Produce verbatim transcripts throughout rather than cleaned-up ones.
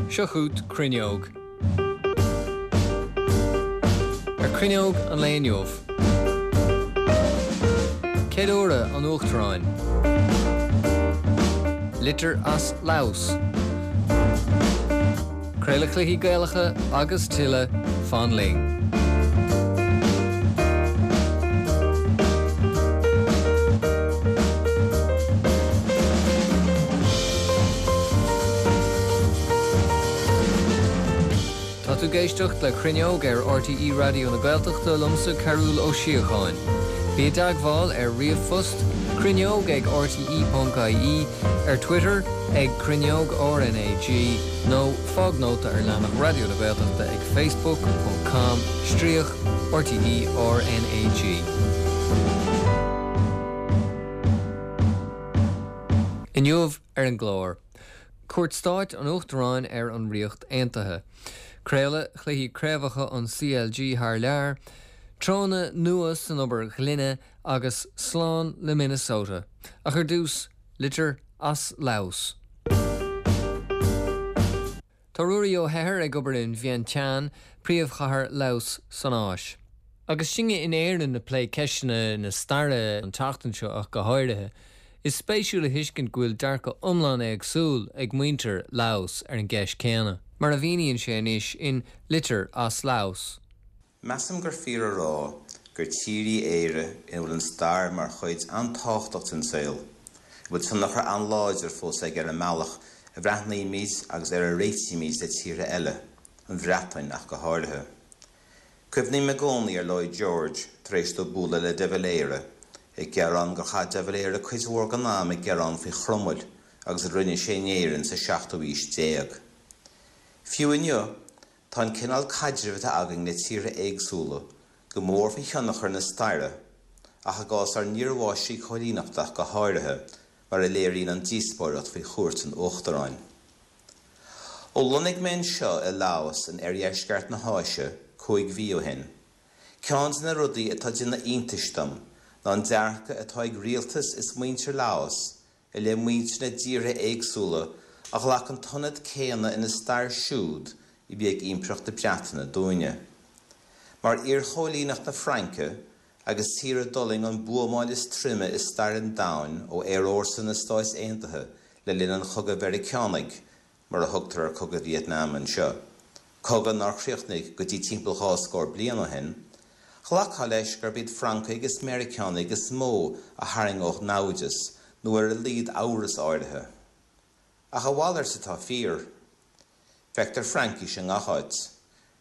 Seo chugat Cruinneog. Ar Cruinneog an lae inniu. Ceiliúradh an Uachtaráin. Litir as Laos. Craoladh cluichí Gaelacha agus tuilleadh fan linn. Tá tú ag éisteacht le Cruinneog ar RTÉ Raidió na Gaeltachta liomsa Cearbhall Ó Síocháin. Bí i dteagmháil ar ríomhphost cruinneog ag rte.ie ar Twitter ag cruinneog RNAG nó fág nóta ar leathanach Raidió na Gaeltachta ag facebook.com stríoc RTÉ RNAG. Inniu ar an gclár. Cuairt stáit an Uachtaráin ar an Ríocht Aontaithe. Craoladh chluichí craobhacha an CLG thar lear, Treonna nua san obair ghloine agus slán le Minnesota. Ach ar dtús litir as Laos. Tá Ruairí Ó hEithir ag obair in Vientiane, príomhchathair Laos san Áis. Agus sinne in Éirinn ag plé ceisteanna na staire an tseachtain seo ach go háirithe, Is spéisiúil a thuiscint go bhfuil dearcadh iomlán éagsúil ag muintir Laos ar an gceist céanna, mar a mhíníonn sé anois in Litir as Laos. Measaim gur fíor a rá gur tír í Éire ina bhfuil an stair mar chuid an-tábhachtach den saol, a bhfuil tionchar an-láidir fós aige ar an mbealach a bhreathnaímid agus ar a réitímid le tíortha eile, an Bhreatain ach go háirithe. Cuimhním i gcónaí ar Lloyd George tar éis dó bualadh le De Valera, ag gearán gur chaith De Valera cuid mhór den am ag gearán faoi Chromail agus a rinne sé in Éirinn sa seachtú haois déag. Fiú inniu, tá an cineál caidrimh atá againn le tíortha éagsúla go mór faoi thionchar na staire, ach i gcás ár n-iarmháistrí coilíneachta ach go háirithe, mar a léiríonn an díospóireacht faoi chuairt an Uachtaráin. Ó lonnaigh mé anseo i Laos in oirdheisceart na hÁise cúig mhí ó shin, ceann de na rudaí atá ag déanamh iontais dom ná an dearcadh atá ag rialtas is muintir Laos i leith muintir na dtíortha éagsúla a ghlac an t-ionad céanna ina stair siúd a bhí ag Impireacht na Breataine dúinne. Mar iarchóilíneacht na Fraince agus tír a d'fhulaing an buamáil is troime i stair an domhain ó aerfhórsa na Stát Aontaithe le linn an Chogaidh Mheiriceánaigh, mar a thugtar ar Chogadh Vítneam anseo, cogadh nár chríochnaigh go dtí timpeall dhá scór bliain ó shin, Ghlacfá leis gurb iad Francaigh is Meiriceánaigh is mó a tharraingeodh naimhdeas nó ar a laghad amhras áirithe. Ach a mhalairt atá fíor. Feictear Fraincis i ngach áit.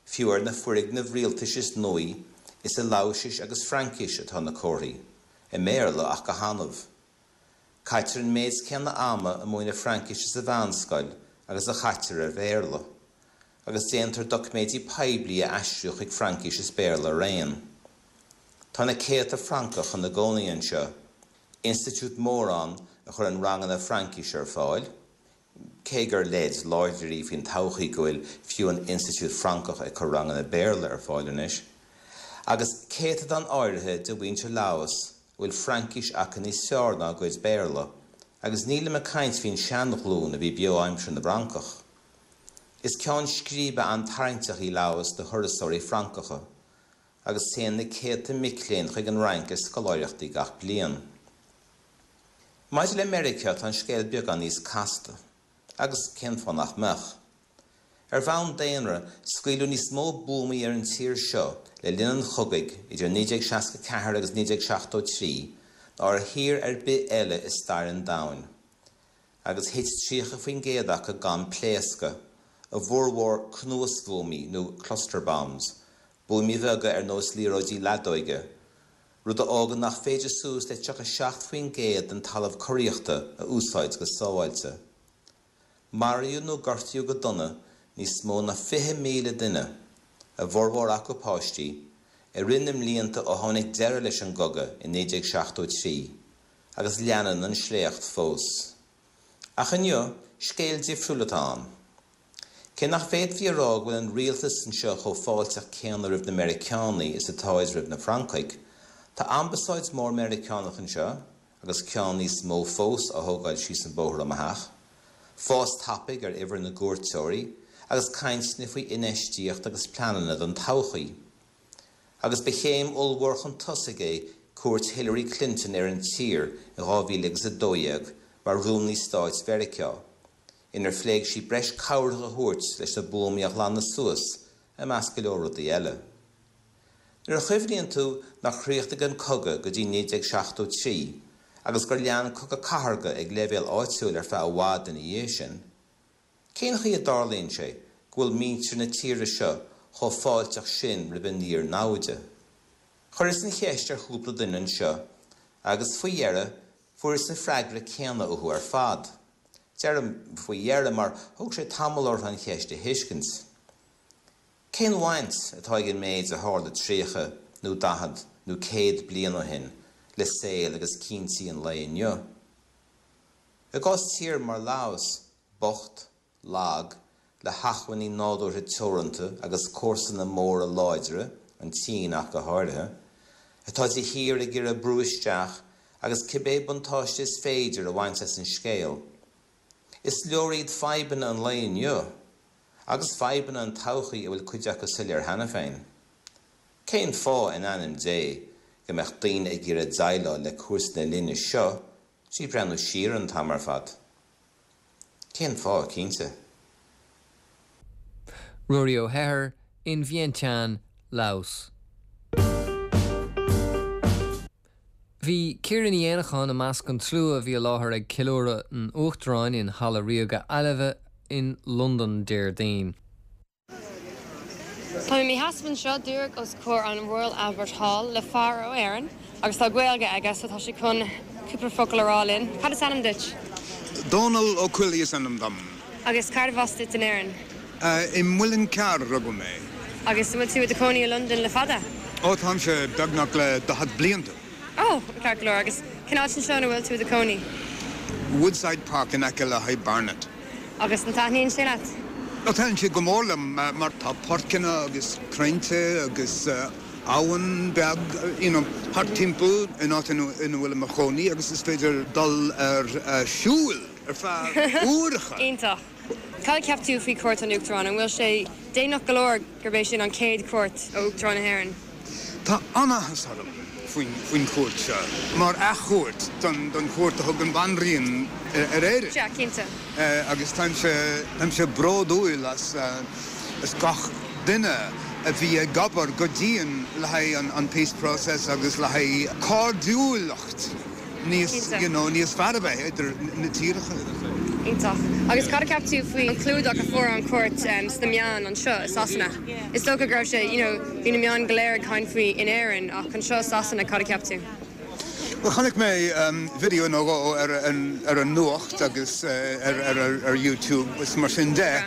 Fiú ar na foirgnimh rialtais is nuaí, is i Laoisis agus Fraincis atá na comharthaí, i mBéarla ach go hannamh. Caitear an méid céanna ama ag múineadh Fraincise sa mheánscoil agus a chaitear ar Bhéarla. Agus déantar doiciméidí poiblí a aistriú chuig Fraincis is Béarla araon. Tá na céadta Francach ina gcónaí anseo, institiúid mór ann a chuireann ranganna Fraincise ar fáil, cé gur leid láidir í faoin todhchaí go bhfuil fiú an institiúid Francach ag cur ranganna Béarla ar fáil anois, agus céatadán áirithe de mhuintir Laos a bhfuil Fraincis acu níos fearr ná a gcuid Béarla, agus nílim ag caint faoin seanghlúin a bhí beo aimsir na bhFrancach. Is ceann scríbe an-tarraingteach í Laos do thurasóirí Francacha. agus téann na céadta mic léinn chuig an Fhrainc ar scoláireachtaí gach bliain. Maidir le Meiriceá, tá an scéal beagán níos casta. Agus cén fáth nach mbeadh? Ar bhonn daonra, scaoileadh níos mó buamaí ar an tír seo le linn an chogaidh idir naoi déag seasca ceathair agus naoi déag seachtó trí ná ar thír ar bith eile i stair an domhain. Agus thit tríocha faoin gcéad acu gan pléascadh, a bhformhór cnuasbhuamaí nó cluster bombs, buamaí beaga ar nós liathróidí leadóige, rud a fhágann nach féidir suas le tríocha seacht faoin gcéad den talamh curaíochta a úsáid go sábháilte. Maraíodh nó gortaíodh go dona níos mó ná fiche míle duine, a bhformhór acu páistí, i rith na mblianta ó tháinig deireadh leis an gcogadh i naoi déag seachtó trí, agus leanann an sléacht fós. Ach inniu, scéal difriúil atá ann. Cé nach bhféadfaí a rá go bhfuil an rialtas anseo chomh fáilteach céanna roimh na Meiriceánaigh is atáid roimh na Francaigh, tá ambasáid mhór Meiriceánach anseo, agus ceann níos mó fós á thógáil síos an bóthar ó mo theach, fás tapaidh ar uimhir na gcuairteoirí, agus cainteanna faoi infheistíocht agus pleananna don todhchaí. Agus ba chéim ollmhór chun tosaigh é cuairt Hillary Clinton ar an tír in dhá mhíle agus a dó dhéag mar Rúnaí Stáit Mheiriceá, inar phléigh sí breis cabhrach a thabhairt leis na buamaí a ghlanadh suas, i measc go leor rudaí eile. Nuair a chuimhníonn tú nár chríochnaigh an cogadh go dtí naoi déag seachtó trí agus gur lean cogadh cathartha ag leibhéal áitiúil ar feadh i bhfad ina dhiaidh sin, cén chaoi a dtarlaíonn sé go bhfuil muintir na tíre seo chomh fáilteach sin roimh an iar-namhaid? Chuireas an cheist ar chúpla duine anseo agus, faoi dheireadh, fuaireas an freagra céanna uathu ar fad. Deirim faoi dheireadh mar thóg sé tamall orthu an cheist a thuiscint. Cén bhaint atá ag an méid a tharla tríocha nó daichead nó céad bliain ó shin le saol agus cinntí an lae inniu? I gcás tír mar Laos, bocht, lag, le hacmhainní nádúrtha teoranta agus comharsana móra láidre, an tSín ach go háirithe, atá de shíor ag iarraidh brú isteach agus cibé buntáiste is féidir a bhaint as an scéal, is leor iad fadhbanna an lae inniu, agus fadhbanna an todhchaí a bhfuil cuid acu soiléir cheana féin. Cén fáth, in ainm Dé, go mbeadh daoine ag iarraidh déileáil le cúrsaí na linne seo trí bhreathnú siar an t-am ar fad? Cén fáth, cinnte? Ruairí Ó hEithir, in Vientiane, Laos. Bhí Ciara Ní Éanacháin i measc an tslua a bhí i láthair ag Ceiliúradh an Uachtaráin in Halla Ríoga Ailbhe in Londain Déardaoin. Tá mé i mo sheasamh anseo díreach os comhair an Royal Albert Hall le fear ó Éirinn agus tá Gaeilge aige so tá sé chun cúpla focal a rá linn. Cad is ainm duit? Dónal Ó Coileáin is ainm dom. Agus cérbh as duit in Éirinn? I Muileann Cearr a rugadh mé. Agus an bhfuil tú i do chónaí i Londain le fada? Ó táimse beagnach le daichead blianta. Ó, ceart go leor. Agus cén áit anseo ina bhfuil tú i do chónaí? Woodside Park in aice le High Barnet. Agus an taitníonn sé leat? Ó taitníonn sé go mór liom mar tá páirceanna agus crainnte agus abhainn beag you know thart timpeall in áit ina bhfuil i mo chónaí agus is féidir dul ar siúl ar feadh uaireacha. Iontach. Cad a cheap tú faoi chuairt an Uachtaráin? An bhfuil sé deimhneach go leor gurb é sin an chéad chuairt ó Uachtarán na hÉireann? Tá an-áthas orm faoin faoin chuairt seo, mar athchuairt don don chuairt a thug an Bhanríon ar Éirinn. Sea, cinnte. Agus táimse táimse bródúil as as gach duine a bhí ag obair go dian le haghaidh an an peace process agus le haghaidh cairdiúlacht níos Cinnte. you know níos fearr a bheith idir na tíortha. Iontach. Agus cad a cheap tú faoi an clúdach a fuair an chuairt sna meáin anseo i Sasana? Is dócha go raibh sé, you know, bhí na meáin go léir ag caint faoi in Éirinn ach anseo i Sasana, cad a cheap tú? Bhuel, chonaic mé video nó dhó ar an ar an nuacht agus ar ar ar YouTube is mar sin de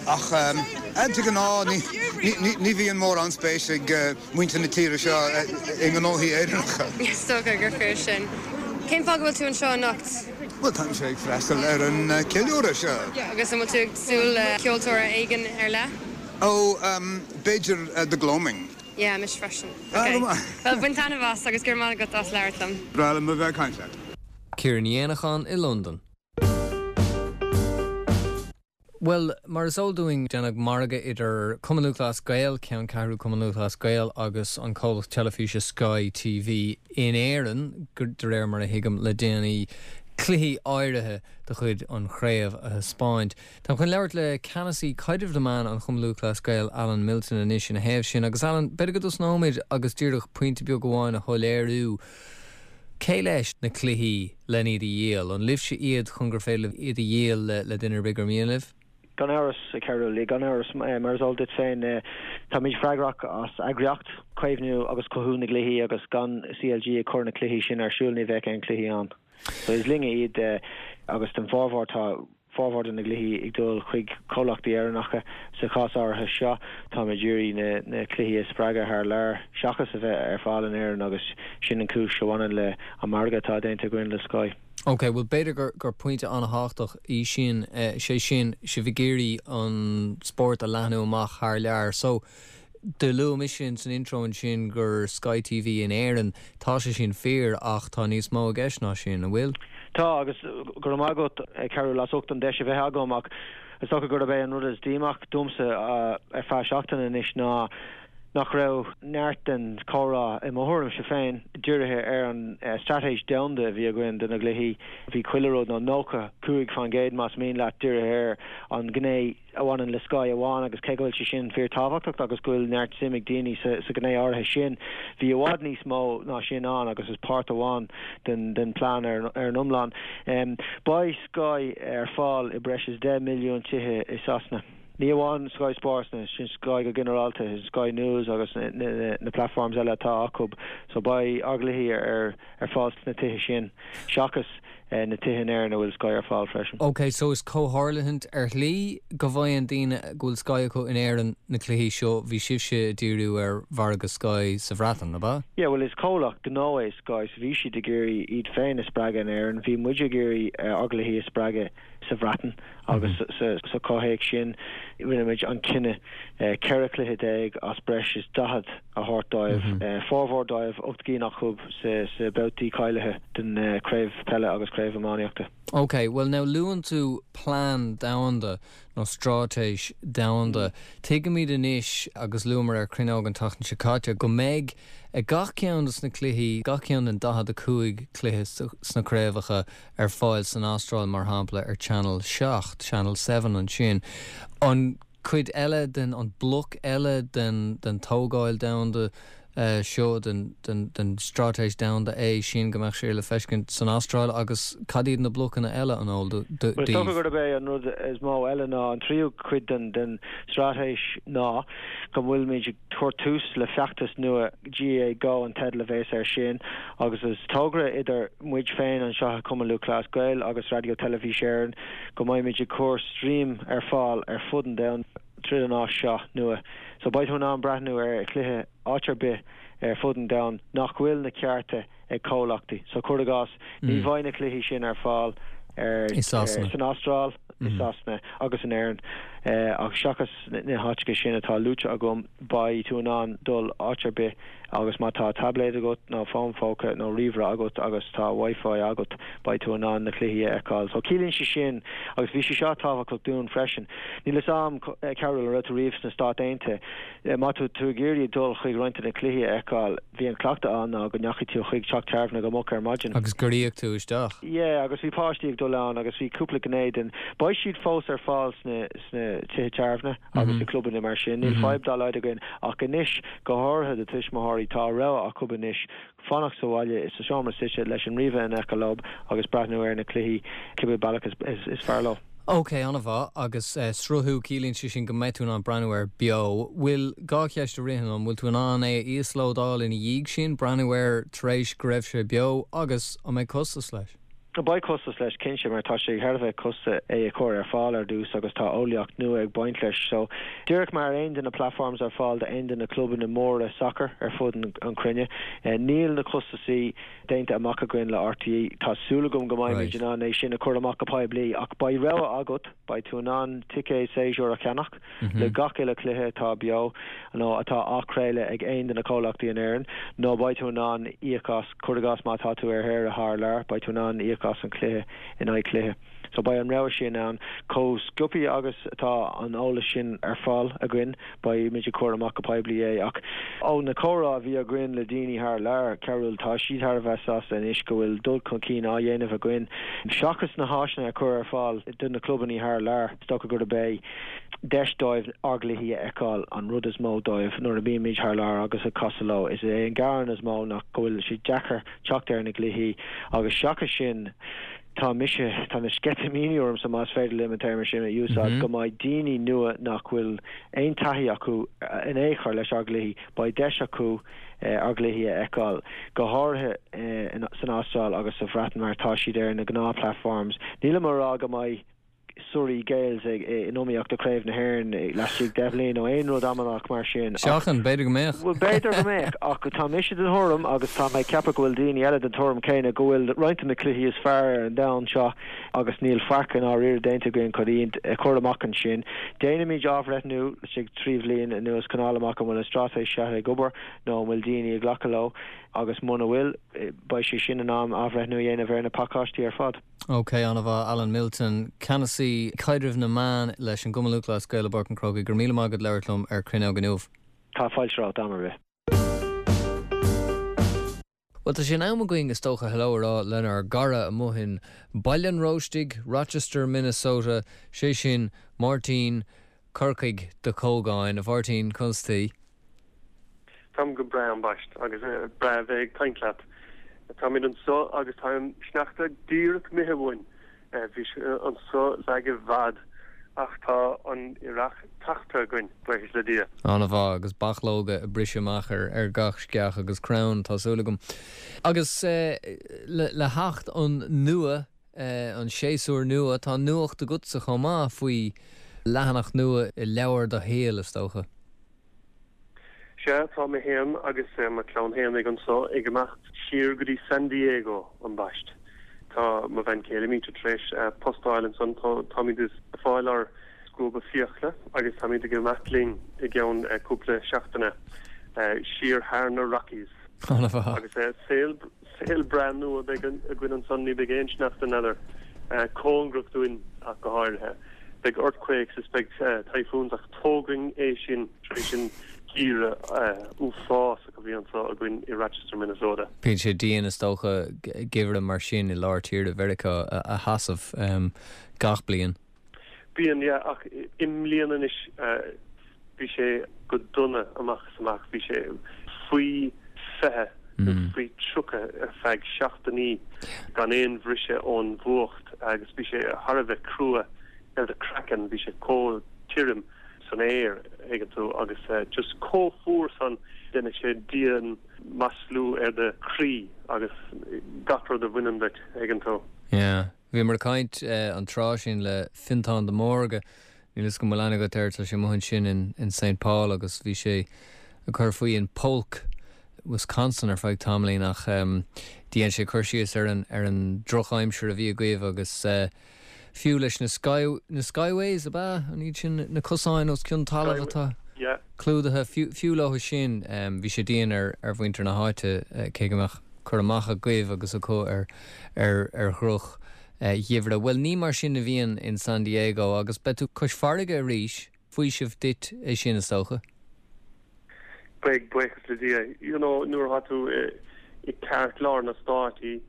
ach de ghnáth ní ní ní bhíonn mórán spéis ag muintir na tíre seo i ngnóthaí Éireannacha. Is dócha gur fíor sin. Cén fáth go bhfuil tú anseo anocht? Bhuel, táimse ag freastal ar an ceiliúradh seo. Agus an bhfuil tú ag súil le ceoltóir éigin ar leith? Ó, b'fhéidir The Gloaming. Yeah, mise freisin. Ah, Ok. go maith. Bhuel, bain taitneamh as agus go raibh maith agat as labhairt liom. Breá liom a bheith ag caint leat. Ciara Ní Éanacháin i Londain. Bhuel, mar is eol dúinn, déanadh margadh idir Cumann Lúthchleas Gael, ceanncheathrú Cumann Lúthchleas Gael agus an comhlacht teilifíse Sky TV in Éirinn, de réir mar a thuigim, le déanaí, cluichí áirithe de chuid an chraobh a thaispeáint. Táim chun labhairt le ceannasaí caidrimh na meán an Chumann Lúthchleas Gael, Alan Milton anois ina thaobh sin. Agus Alan, b'fhéidir go dtosnóimid agus díreach pointe beag amháin a shoiléiriú. Cé leis na cluichí len iad a dhíol? An libhse iad chun gur féidir libh iad a dhíol le duine ar bith gur mian libh? Gan amhras, a Chearúil, gan amhras, mar is eol duit féin, táimid freagrach as eagraíocht, caomhnú agus cothú na gcluichí agus gan CLG ag cur na cluichí sin ar siúl ní bheadh aon chluichí ann. So is linne iad agus den bhformhór tá formhór de na gcluichí ag dul chuig comhlachtaí Éireannacha. Sa chás áirithe seo táimid ag iarraidh na na cluichí a spreagadh thar lear seachas a bheith ar fáil in Éirinn agus sin an cúis a bhaineann le an margadh atá déanta againn le Sky. Ok, bhuel b'fhéidir gur gur pointe an-thábhachtach í sin, sé sin, sibh ag iarraidh an spórt a leathnú amach thar lear. So, do luaigh mise san intro ansin gur Sky TV in Éirinn, tá sé sin fíor ach tá níos mó i gceist ná sin, an bhfuil? Tá agus go raibh maith agat Cearúil as ucht an deis a bheith agam ach is dócha gurb é an rud is díomách domsa ar feadh seachtaine anois ná nach raibh neart den chomhrá i mo thuairimse féin dírithe ar an straitéis domhanda a bhí againn do na gcluichí. Bhí chuile rud nó nócha cúig faoin gcéad más mian leat dírithe ar an ghné a bhaineann le Sky amháin agus cé go bhfuil sé sin fíorthábhachtach agus go bhfuil neart suim ag daoine sa sa ghné áirithe sin. Bhí i bhfad níos mó ná sin ann agus is páirt amháin den den plean ar ar an iomlán. Um, Beidh Sky ar fáil i breis is deich milliún tithe i Sasana. Ní amháin Sky Sports na sin Sky go ginearálta, Sky News agus na, na, na platforms eile atá acu, so beidh ár gcluichí ar ar fáil sna tithe sin seachas eh, na tithe in Éirinn a bhfuil Sky ar fáil freisin. Ok, so is comhtharlúint ar shlí go bhfaigheann daoine go bhfuil Sky acu in Éirinn na cluichí seo bhí sibhse ag díriú ar mhargadh Sky sa Bhreatain, ab ea? Yeah, well is comhlacht gnó é Sky, so bhí siad ag iarraidh iad féin a spreagadh in Éirinn, bhí muid ag iarraidh uh, ár gcluichí a spreagadh sa Bhreatain agus mm -hmm. sa, sa chomhthéacs sin rinne muid an cinneadh uh, ceithre chluiche déag as breis is daichead a thabhairt dóibh mm -hmm. uh, formhór dóibh ocht gcinn acu sa, sa babhtaí cáilithe den uh, craobh peile agus craobh iománaíochta. Ok, well now luann tú plean domhanda nó straitéis domhanda. Tuigimid anois agus luamar ar Cruinneog an tseachtain seo caite go mbeidh ag gach ceann dos na cluichí gach ceann den daichead a cúig cluiche sna craobhacha ar fáil san Astráil mar shampla ar Channel seacht, Channel seven ansin. An cuid eile den an bloc eile den den tógáil domhanda uh, seo den, den, den straitéis domhanda é sin go mbeadh sé le feiscint san Astráil agus cad iad na blocanna eile an eol Well, gurb é an rud is mó eile ná an tríú cuid den den straitéis ná go bhfuilmid ag cur tús le feachtas nua G A A Go an teideal a bheas air sin agus is togra idir muid féin anseo Cumann Lúthchleas Gael agus Raidió Teilifís Éireann go mbeimid ag cur stream ar fáil ar fud an domhain tríd an áis seo nua. So beidh tú in ann breathnú ar chluiche áit ar bith ar fud an domhain nach bhfuil na cearta ag comhlachtaí. So cuir i gcás ní bheidh na cluichí sin ar fáil ar san Astráil i Sasana agus in Éirinn ach seachas na háiteacha sin atá luaite agam beidh tú in ann dul áit ar bith agus má tá tablet agat nó fón póca nó ríomhaire agat agus tá wifi agat beidh tú in ann na cluichí a fheiceáil. So ciallaíonn sé sin agus bhí sé seo tábhachtach dúinn freisin. Níl a fhios agam Cearúil an raibh tú riamh sna Stáit Aontaithe. Má tá tú ag iarraidh dul chuig roinnt na cluichí a fheiceáil, bhí an cleachtadh ann ná go ndeachaigh tú chuig teach tábhairne go moch ar maidin. Agus gur íoc tú isteach. Yeah, agus bhí páistí ag dul ann agus bhí cúpla gné den. Beidh siad fós ar fáil sna sna tithe tábhairne agus i clubanna mar sin. Níl fadhb dá laghad againn ach anois go háirithe do tuismitheoirí tá rogha acu anois fanacht sa bhaile is sa seomra suite leis an ríomhaire in aice leo agus breathnú ar na cluichí cibé bealach is, is, is fearr leo. Ok, an-mhaith agus uh, sruthú ciallaíonn sé sin go mbeidh tú in ann breathnú air beo. Bhfuil dhá cheist a rihan an bhfuil tú in ann é íoslódáil ina dhiaidh sin breathnú air tar éis go raibh sé beo agus an mbeidh costas leis. Beidh costas leis cinnte mar tá sé thar a bheith costach é a chur ar fáil ar dtús agus tá eolaíocht nua ag baint leis. So díreach mar aon de na platforms ar fáil d'aon de na clubanna móra soccer ar fud an, an chruinne. Uh, níl na costasaí déanta amach againn le R T E tá súil agam go mbeimid in ann é sin a chur amach go poiblí ach beidh rogha agat beidh tú in ann ticéad séasúr a cheannach mm -hmm. le gach uile cluiche atá beo nó atá á chraoladh ag aon de na comhlachtaí in Éirinn nó beidh tú in ann íoc as cuir i gcás má tá tú ar shaoire thar lear beidh tú in ann íoc as an cluiche in aghaidh cluiche. So beidh an rogha sin ann chomh sciobtha agus atá an eolas sin ar fáil againn beimid ag cur amach go poiblí é ach ó na comhrá a bhí againn le daoine thar lear Cearúil tá siad thar a bheith sásta anois go bhfuil dul chun cinn á dhéanamh againn. Seachas na háiseanna a chur ar fáil do na clubanna thar lear is dócha gurb é deis dóibh ár gcluichí a fheiceáil an rud is mó dóibh nuair a bhímid thar lear agus ag casadh leo is é an gearán is mó nach go bhfuil sé deacair teacht ar na cluichí agus seachas sin tá mise tá na sceitimíní orm sa más féidir liom an téarma sin a úsáid mm -hmm. go mbeidh daoine nua nach bhfuil aon taithí acu in aon chor leis ár gcluichí beidh deis acu eh, ár gcluichí a fheiceáil go háirithe eh, san Astráil agus sa Bhreatain mar tá siad ar na gnáth platforms. Níl mé ag rá go mbeidh Surrey Gaels ag in iomaíocht do Chraobh na hÉireann laistigh de bhliain nó aon rud amanach mar sin. Seachain, b'fhéidir go mbeadh. Well b'fhéidir go mbeadh ach tá mise den tuairim agus tá mé ag ceapadh go bhfuil daoine eile den tuairim céanna go bhfuil roinnt de na cluichí is fearr ar an domhan seo agus níl faic i ndáiríre déanta againn chun iad a chur amach ansin. Déanaimid athbhreithniú laistigh trí bhliain anuas chun fháil amach an bhfuil an straitéis seo ag obair nó an bhfuil daoine ag glacadh leo agus muna bhfuil beidh sé sin in am athbhreithniú a dhéanamh ar na pacáistí ar fad. Ok an-mhaith Alan Milton, Ceannasaí Caidrimh na Meán leis an gCumann Lúthchleas Gael i bPáirc an Chrócaigh go raibh míle maith agat labhairt liom ar Cruinneog inniu. Tá fáilte romhat am ar bith. Well tá sé in am againn is dócha hello a rá lenár gcara amuigh in Baile an Róistigh, Rochester, Minnesota, sé sin Máirtín Corcaigh de Cógáin a Mháirtín conas tá. Táim go breá ambaist agus breá bheith ag caint leat. Táimid anseo agus tá an sneachta díreach imithe uainn. Bhí sé anseo feadh i bhfad ach tá an earrach tagtha againn, buíochas le Dia. An-mhaith agus bachlóga ag briseadh amach ar ar gach sceach agus crann, tá súil agam. Agus le le theacht an nua, an séasúr nua, tá nuacht agatsa chomh maith faoi leathanach nua i leabhar do shaoil, is dócha. Sea, tá mé féin agus mo chlann fhéinig anso ag imeacht siar go dtí San Diego ambaist. Tá mo bhean chéile Míte tar éis post a fháil ansan, táimid ag fáil ár scuaba fiacla agus táimid ag imeacht linn i gceann cúpla seachtaine siar thar na Rockies. Agus saol saol breá nua a bheidh againn ansan, ní bheidh aon sneachta n'fheadar cóngarach dúinn ach go háirithe. Beidh earthquakes is beidh typhoons ach tógainn é sin tar éis an geimhreadh uafásach a bhí anseo againn i Rochester, Minnesota. Bíonn sé dian is dócha geimhreadh mar sin i lár tíre Mheiriceá a sheasamh gach bliain. Bíonn, yeah, ach i mbliana anois bhí sé go dona amach is amach, bhí sé faoi fiche nó faoi tríocha ar feadh seachtainí gan aon bhriseadh ón bhfuacht agus bhí sé thar a bheith crua ar do chraiceann, bhí sé chomh tirim san aer, thuigeann tú, agus just chomh fuar san, déanann sé dian maslú ar do chroí agus gach rud a bhaineann duit, thuigeann tú. Yeah. Bhíomar ag caint an tráth sin le Fintán de Mórdha, níl 'fhios agam an bhfuil aithne agat air, tá sé amuigh ansin in in Saint Paul agus bhí sé ag cur faoi in Polk, Wisconsin ar feadh tamaillín ach dhein sé cur síos ar an ar an drochaimsir a bhí agaibh agus fiú leis na sky na skyways ab ea? An iad sin na cosáin os cionn talaimh atá clúdaithe? Fiú fiú leo sin bhí sé dian ar ar mhuintir na háite cé go mbeadh cur amach agaibh agus acu ar ar ar dhroch gheimhreadh. Bhuel ní mar sin a bhíonn in San Diego agus beidh tú cois farraige arís, faoiseamh duit é sin is dócha. Beidh, buíochas le Dia. You know nuair atá tú i gceartlár na Stáit you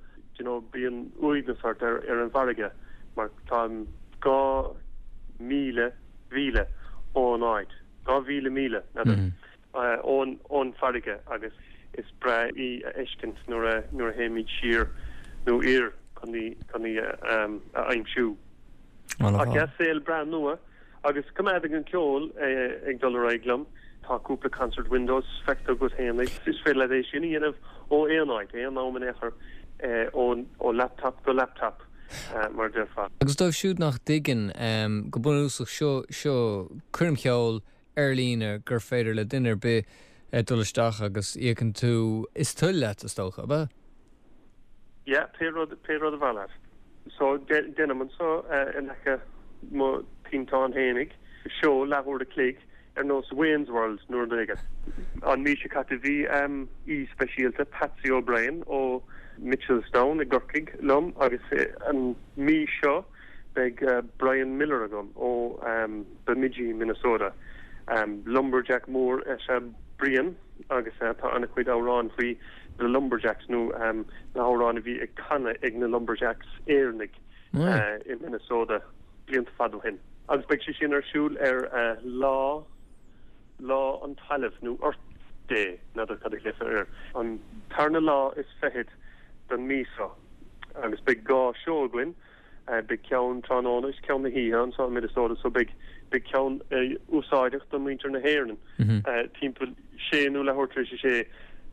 know bíonn uaigneas ort ar ar an bhfarraige mar táim dhá míle mhíle ón áit, dhá mhíle míle, n'fheadar, ón ón bhfarraige agus is breá í a fheiscint nuair a nuair a théimid siar nó oir chun í chun í a a aimsiú. Ach yeah, saol breá nua agus coimeádaim an ceol ag dul ar aghaidh liom. Tá cúpla concert windows feicthe agat fhéinig. Is féidir leat é sin a dhéanamh ó aon áit, aon am in aon chor, ó laptop go laptop, mar a déarfá. Agus dóibh siúd nach dtuigeann, go bunúsach, seo seo coirm cheoil ar líne gur féidir le duine ar bith dul isteach agus íocann tú is toil leat, is dócha, ab ea? Yeah, pé rud, pé rud ab áil leat. So, déanaim anso in aice mo tinteán fhéinig, seó leathuair a chloig ar nós Wayne's World nó rud éigin. An mhí seo caite bhí aoi speisialta, Patsy O'Brien ó Mitchelstown i gCorcaigh liom agus an mhí seo beidh Brian Miller agam ó Bemidji, Minnesota. Lumberjack mór is ea Brian agus tá an-chuid amhrán faoi na Lumberjacks nó na hamhráin a bhí ag canadh ag na Lumberjacks Éireannaigh i Minnesota blianta fada ó shin. Agus beidh sé sin ar siúl ar lá Lá an Talaimh nó Earth Day, n'fheadar cad a ghlaofar air, an tarna lá is fichead den mhí seo. Agus beidh dhá seó againn. Beidh ceann tráthnóna is ceann na hoíche anseo i Minnesota so beidh beidh ceann úsáideach do mhuintir na hÉireann timpeall sé nó leathuair tar éis a sé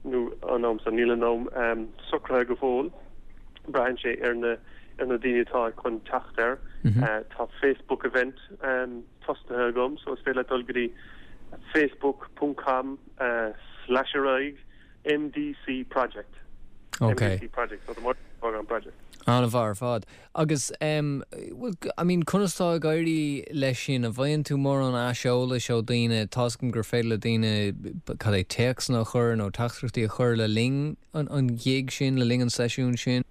nó an am san. Níl an am socraithe go fóill. Braitheann sé ar na ar na daoine atá chun teacht air. Tá Facebook event tosaithe agam so is féidir leat dul go dtí facebook ponc com slash ar aghaidh MDC project. Okay. MDC project, so the Máirtín Ó Cógáin project. An-mhaith ar fad. Agus um, well, I mean, conas tá ag éirí leis sin an bhfaigheann tú mórán aiseolais ó daoine tá a fhios agam gur féidir le daoine cad é téacsanna a chur nó teachtaireachtaí a chur le linn an, an ghig sin le linn an seisiún sin?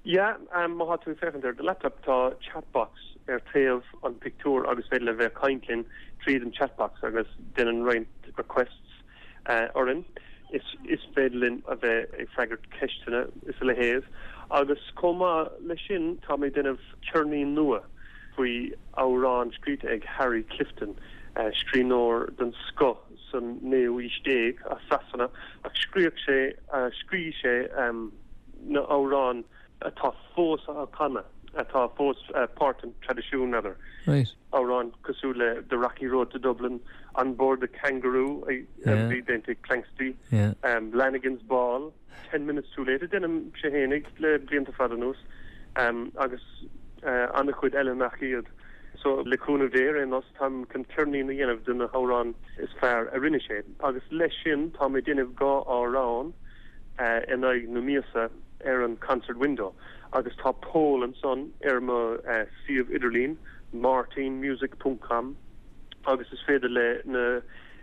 Yeah, um, má tá tú ag féachaint ar do laptop tá chatbox ar taobh an pictiúr agus féidir le bheith ag caint linn tríd an chatbox agus déanann roinnt requests uh, orainn. Is, is féidir linn a bheith ag freagairt ceisteanna is a leithéid. Agus chomh maith leis sin tá mé ag déanamh ceirnín nua faoi amhrán scríte ag Harry Clifton, uh, scríbhneoir den scoth san naoú aois déag as Sasana ach scríobh sé uh, scríobh sé um, na amhráin atá fós á canadh atá fós uh, páirt den traidisiún n'fheadar. Right. Amhrán cosúil le The Rocky Road to Dublin, On Board the Kangaroo a Yeah. bhí déanta ag Planxty, Yeah. um, Lanigan's Ball, Ten Minutes Too Late, a déanaimse fhéinig le blianta fada anuas um, agus uh, an-chuid eile nach iad. So le cúnamh Dé ar aon nós táim chun ceirnín a dhéanamh de na hamhráin is fearr a rinne sé. Agus leis sin tá mé ag déanamh dhá amhrán uh, in aghaidh na míosa ar an concert window. Agus tá poll ansan ar mo uh, suíomh idirlín martinmusic.com agus is féidir le na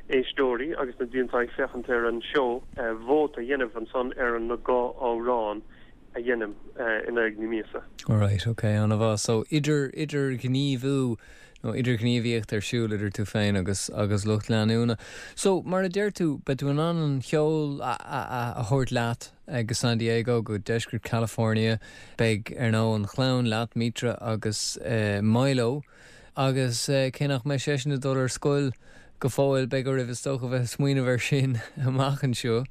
éisteoirí agus na daoine atá ag féachaint ar an seó uh, vóta a dhéanamh ansan ar an na dhá amhrán a dhéanaim uh, in aghaidh na míosa. Alright, okay, an-mhaith. So idir idir gníomhú nó idir gníomhaíocht ar siúl idir tú féin agus agus lucht leanúna. So mar a deir tú beidh tú in ann an ceol a, a, a, a thabhairt leat go San Diego go deisceart California, beidh ar ndóigh an chlann leat Mitra agus uh, Milo agus uh, cé nach mbeidh seisean ag dul ar scoil go fóill beidh oraibh is dócha bheith ag smaoineamh air sin amach anseo.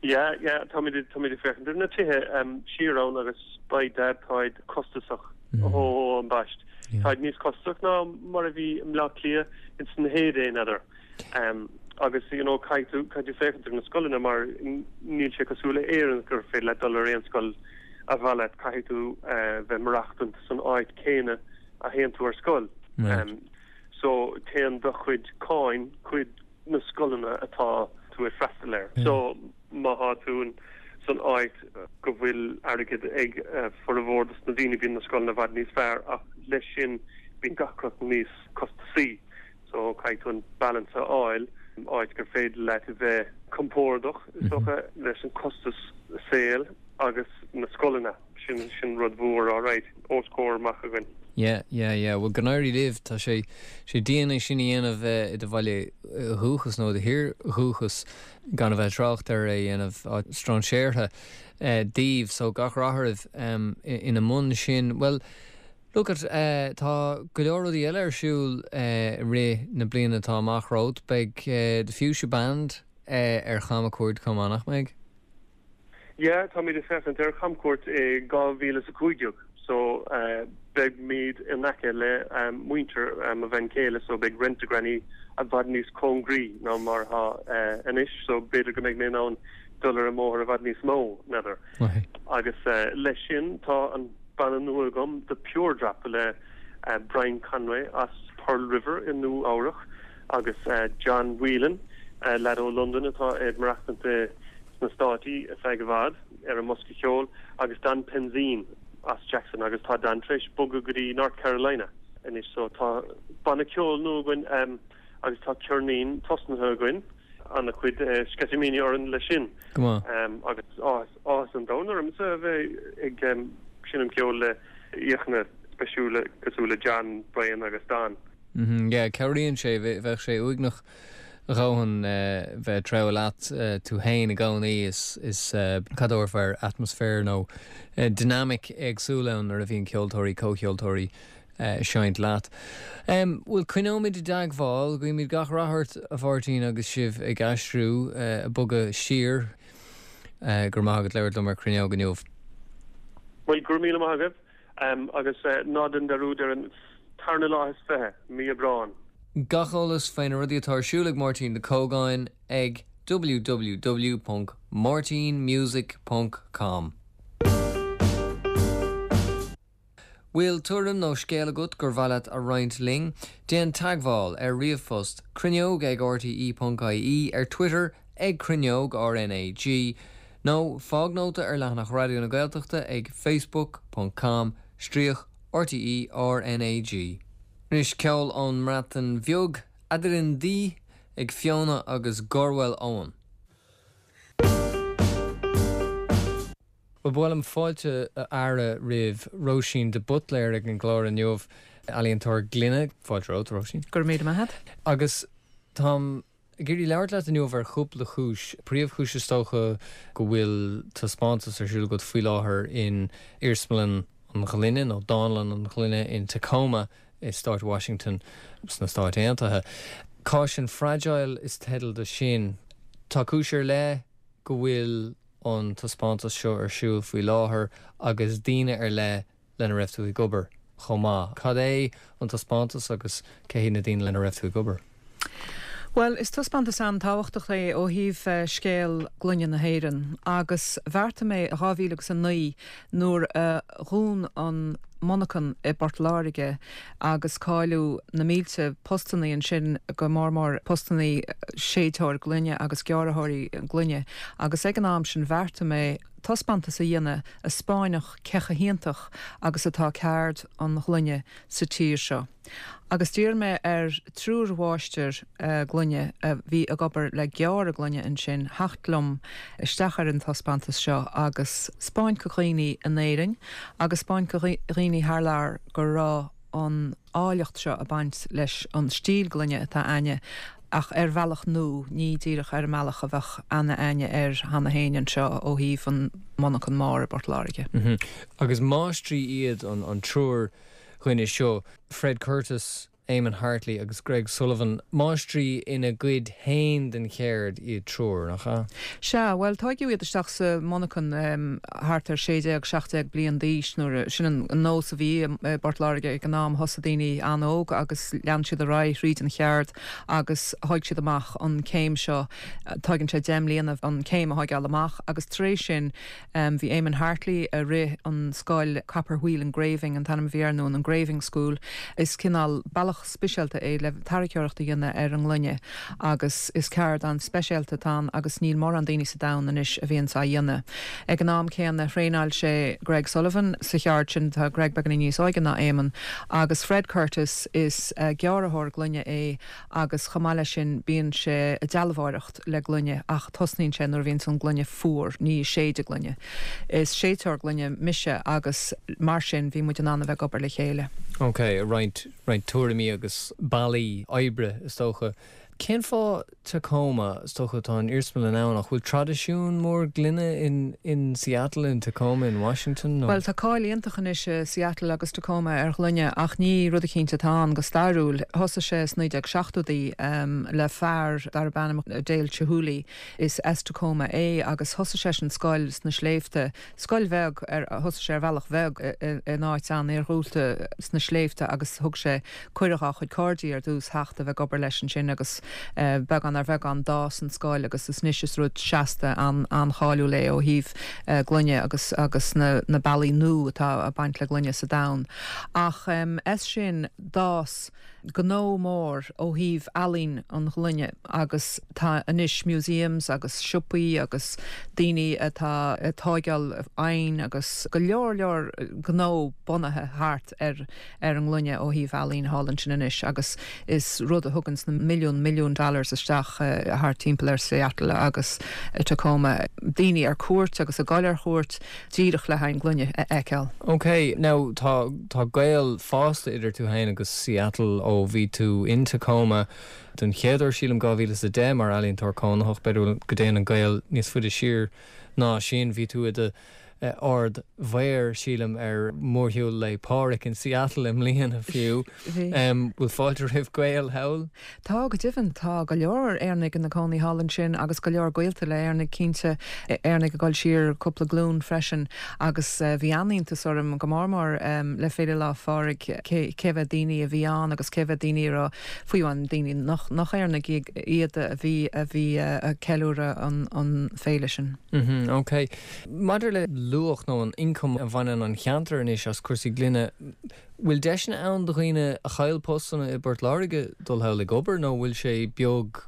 Ja, ja, tá mé tá mé féachaint ar na tithe um, siar ann agus by dad táid costasach mm. ó an baist. Yeah. Táid níos costasach ná mar a bhí i mBleá Cliath ins na heyday n'fheadar. Um, agus you know, caithfidh tú caithfidh tú féachaint ar na scoileanna mar níl sé cosúil le Éirinn gur féidir leat dul ar aon scoil ar mhaith leat caithfidh tú uh, bheith maireachtaint san áit céanna a théann tú ar scoil. Right. Um, so téann do chuid cáin chuig na scoileanna atá tú ag freastal air. Yeah. So má tá tú san áit go bhfuil airgead ag uh, formhór dos na daoine bíonn na scoileanna i bhfad níos fearr ach leis sin bíonn gach rud níos costasaí. So caithfidh tú an balance a fháil áit gur féidir leat a bheith compordach is dócha leis an costas saoil agus na scoileanna sin sin rud mhór alright os comhair amach againn. Yeah, yeah, yeah. Well go n-éirí libh tá sé sé dian é sin a dhéanamh i do bhaile dúchais nó do thír dhúchais gan a bheith trácht ar é dhéanamh strainséartha daoibh so gach rath oraibh um, ina mbun sin. Well, Look at uh, tá go leor rudaí eile ar siúl uh, rith na bliana atá amach romhat beidh uh, The Fuchsia Band uh, ar chamchuairt chomh maith nach mbeidh? Ja, tá mé féachaint ar chamchuairt i dhá mhíle a cúig déag so uh, beimid in aice le um, muintir um, a bhean chéile so beidh Rent-A-Granny i bhfad níos cóngaraí ná mar atá uh, anois so b'fhéidir go mbeidh mé in ann dul ar an mbóthar i bhfad níos mó n'fheadar. Agus uh, leis sin tá an banna nua agam The Pure Drop le uh, Brian Conway as Pearl River in Nua-Eabhrac agus uh, John Whelan uh, lad ó London atá ag maireachtaint sna Státaí ar feadh i bhfad ar an mbosca ceoil agus Dan Penzine as Jackson agus tá Dan tar éis bogadh go dtí North Carolina anois so tá banna ceoil nua againn um, agus tá ceirnín tosnaithe againn an-chuid uh, sceitimíní orainn leis sin. Um, agus áthas an domhain ormsa a bheith ag um, seinm ceol le aíonna speisialta cosúil le John, Brian agus Dan. Mm -hmm, yeah, cabhraíonn sé bheadh sé uaigneach a dhóthain bheith treabhadh leat tú féin i gcónaí is is cadófar atmaisféar nó dynamic éagsúil ann nuair a bhíonn ceoltóirí comhcheoltóirí seinnt leat. Um, Well coinneoimid i dteagmháil, guímid gach rath ort a Mháirtín agus sibh ag aistriú uh, bogadh siar uh, gur maith agat labhairt liom ar Cruinneog inniu. Well gur míle maith agaibh um, agus uh, ná déan dearúd ar an tarna lá is fiche mí Aibreán. Gach eolas faoi na rudaí atá ar siúl ag Máirtín Ó Cógáin ag www.martinmusic.com. Bhfuil tuairim nó scéal agat gur mhaith leat a roinnt linn, déan teagmháil ar ríomhphost cruinneog ag RTE.ie ar Twitter ag cruinneog RNAG, nó fág nóta ar leathanach Raidió na Gaeltachta ag facebook.com stríoc RTE RNAG. Anois ceol ón mBreatain Bheag Aderyn Du ag Fiona agus Gorwel Owen. Ba mhaith liom fáilte a fhearadh roimh Róisín de Buitléir ag an gclár inniu ealaíontóir gloine fáilte romhat Róisín. Go raibh míle maith agat. Agus táim ag iarraidh labhairt leat inniu ar chúpla cúis. Príomhchúis is dócha go bhfuil taispeántas ar siúl agat faoi láthair in Iarsmalann an Ghloine nó Dánlann an Ghloine in Tacoma i Stát Washington sna Stáit Aontaithe. Caution Fragile is teideal do sin. Tá cúis ar leith go bhfuil an taispeántas seo ar siúl faoi láthair agus daoine ar leith lena raibh tú ag obair chomh maith. Cad é an taispeántas agus cé hiad na daoine lena raibh tú ag obair? Well, is taispeántas an-tábhachtach é ó thaobh eh, scéal gloine na hÉireann, agus bheartaigh mé dhá mhíle agus a naoi nuair a dhún an monarchan i bPort Láirge agus cailleadh na mílte postannaí ansin go mór mór postannaí séidteoir gloine agus gearrthóirí gloine agus ag an am sin bheartaigh mé taispeántas a dhéanamh a spáinfeadh cé chomh hiontach agus atá ceard an ghloine sa tír seo. Agus d'iarr mé ar triúr mháistir eh, gloine a bhí ag obair le gearradh gloine ansin theacht liom isteach ar an taispeántas seo agus spáint do dhaoine in Éirinn agus spáint do dhaoine thar lear go raibh an áilleacht seo ag baint leis an stíl gloine atá againne ach ar bhealach nua ní díreach ar an mbealach a bheadh aithne againne air cheana féin anseo ó thaobh an monarchan mór i bPort Láirge. Mm -hmm. Agus máistrí iad an, an triúr dhuine seo, Fred Curtis, Eamon Hartley agus Greg Sullivan, máistrí ina gcuid féin den cheird iad triúr nach ea? Sea, well tógadh iad isteach sa monarchan um, thart ar sé déag seacht déag bliain d'aois nuair sin an nós a bhí i bPort Láirge ag an am thosaigh daoine an-óg agus lean siad ar aghaidh thríd an cheird agus thóg siad amach an céim seo tógann sé deich mbliana an céim a thógáil amach agus tar éis sin um, bhí Eamon Hartley a rith an scoil Copper Wheel Engraving an t-ainm a bhí air nó an Engraving School is cineál bealach speisialta é le tarraiceoireacht a dhéanamh ar an ngloine agus is ceard an-speisialta atá ann agus níl mórán daoine sa domhan anois a bhíonn á dhéanamh. Ag an am céanna thraenáil sé Greg Sullivan sa cheard sin tá Greg beagáinín níos óige ná Eamon agus Fred Curtis is uh, gearrthóir gloine é agus chomh maith leis sin bíonn sé ag dealbhóireacht le gloine ach tosnaíonn sé nuair a bhíonn an gloine fuar ní séideadh gloine. Is séidteoir gloine mise agus mar sin bhí muid in ann a bheith ag obair le chéile. Ok, roinnt roinnt tuairimí agus bealaí oibre is dócha. Cén fáth Tacoma is dócha tá an iarsmalann ann ach bhfuil traidisiún mór gloine in, in Seattle in Tacoma in Washington? No? Well tá cáil iontach anois i Seattle agus Tacoma ar ghloine ach ní rud cinnte atá ann go stairiúil. Thosaigh sé sna naoi déag seachtóidí um, le fear darb ainm Dale Chihuly is as Tacoma é agus thosaigh sé an scoil sna sléibhte. Scoil bheag ar thosaigh sé ar bhealach bheag in áit an-iargúlta sna sléibhte agus thug sé cuireadh dá chuid cairde ar dtús theacht a bheith ag obair leis ansin agus uh, beagán ar bheagán d'fhás an scoil agus is anois is rud seasta an an-cháiliúil é ó thaobh uh, gloine agus agus na, na bealaí nua atá ag baint le gloine sa domhan. Ach um, as sin d'fhás gnó mór ó thaobh ealaín an ghloine agus tá anois museums agus siopaí agus daoine atá ag tógáil oighinn agus go leor leor gnó bunaithe thart ar ar an ngloine ó thaobh ealaín thall ansin anois agus is rud a thugann na milliún milliún dollars isteach uh, thart timpeall ar Seattle agus uh, Tacoma daoine ar cuairt agus ag dul ar cuairt díreach le haghaidh gloine a fheiceáil. Ok, now tá tá gaol fosta idir tú féin agus Seattle ó bhí tú in Tacoma den chéad uair sílim dhá mhíle is a deich mar ealaíontóir cónaitheach b'fhéidir go dtéann an gaol níos faide siar ná sin bhí tú i do ard-mhéara sílim ar mhórshiúl Lae Pádraig in Seattle i mbliana fiú. Um, bhfuil fáilte roimh Ghaeil thall? Tá go deimhin tá go leor Éireannaigh ina gcónaí thall ansin agus go leor gaolta le Éireannaigh cinnte Éireannaigh ag dul siar cúpla glúin freisin agus uh, bhí an-iontas orm go mór mór um, le Féile Lá Phádraig cé mhéad daoine a bhí ann agus cé mhéad daoine ra fiú an daoine nach nach Éireannaigh iad a bhí a bhí uh, ceiliúradh an, an féile sin. Mm -hmm, ok. Maidir le luach nó an ioncam a bhaineann an cheantar anois as cúrsaí gloine, bhfuil deiseanna ann do dhaoine a chaill postanna i bPort Láirge dul thall ag obair nó bhfuil sé beag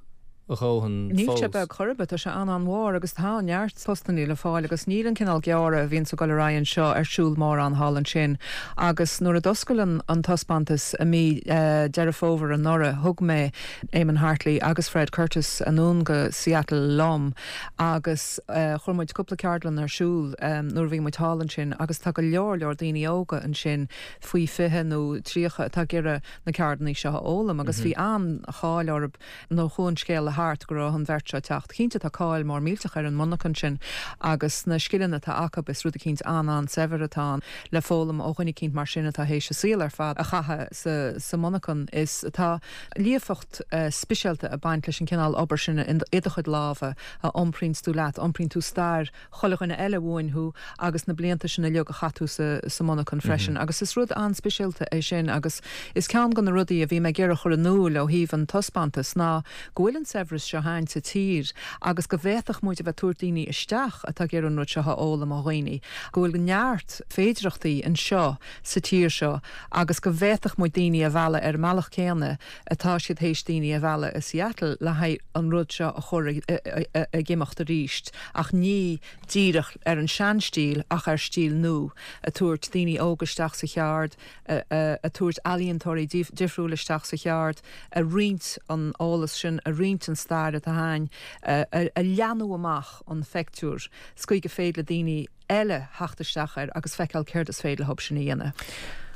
a dhóthain Níl sé fós? beag chor ar bith, tá sé an-an-mhór agus tá neart postanna le fáil agus níl an cineál gearradh a bhíonn ag dul ar aghaidh anseo ar siúl mórán thall ansin. Agus nuair a d'oscail an, an taispeántas i mí uh, Deireadh Fómhair anuraidh thug mé Eamon Hartley agus Fred Curtis anonn go Seattle liom agus uh, chuir muid cúpla ceardlann ar siúl um, nuair a bhí muid thall ansin agus tá go leor leor daoine óga ansin faoi fiche nó tríocha atá ag iarraidh na ceardlanna seo a fhoghlaim agus bhí an-cháil orthu nuair a chuaigh an scéal thart go raibh an bheirt seo ag teacht. Cinnte tá cáil mór millteach ar an monarcha sin agus na scileanna atá acu is rud eicínt an-an-saibhir atá le foghlaim ó dhuine eicínt mar sin atá théis a saol ar fad a chaitheamh sa, sa monarcha is atá líofacht uh, speisialta ag baint leis an cineál obair sin in i do chuid lámha a iompraíonn tú leat, iompraíonn tú stair chuile dhuine eile uainn thú agus na blianta sin uilig a chaith tú sa, sa monarcha freisin. Mm -hmm. agus is rud an-speisialta é sin agus is ceann de na rudaí a bhí mé ag iarraidh a chur in iúl ó thaobh an taispeántas ná go bhfuil an saibhreas seo againn sa tír agus go bhféadfadh muid a bheith ag tabhairt daoine isteach atá ag iarraidh an rud seo a fhoghlaim ó dhaoine, go bhfuil neart féidireachtaí anseo sa tír seo agus go bhféadfadh muid daoine a mhealladh ar an mbealach céanna atá siad théis daoine a mhealladh i Seattle le haghaidh an rud seo a chur ag imeacht arís ach ní díreach ar an seanstíl ach ar stíl nua ag tabhairt daoine óga isteach sa cheard ag tabhairt ealaíontóirí difriúil isteach sa cheard ag roinnt an eolas sin ag roinnt an stair atá againn a leathnú amach an phictiúr sa chaoi gur féidir le daoine eile theacht isteach air agus feiceáil céard is féidir leo sin a dhéanamh.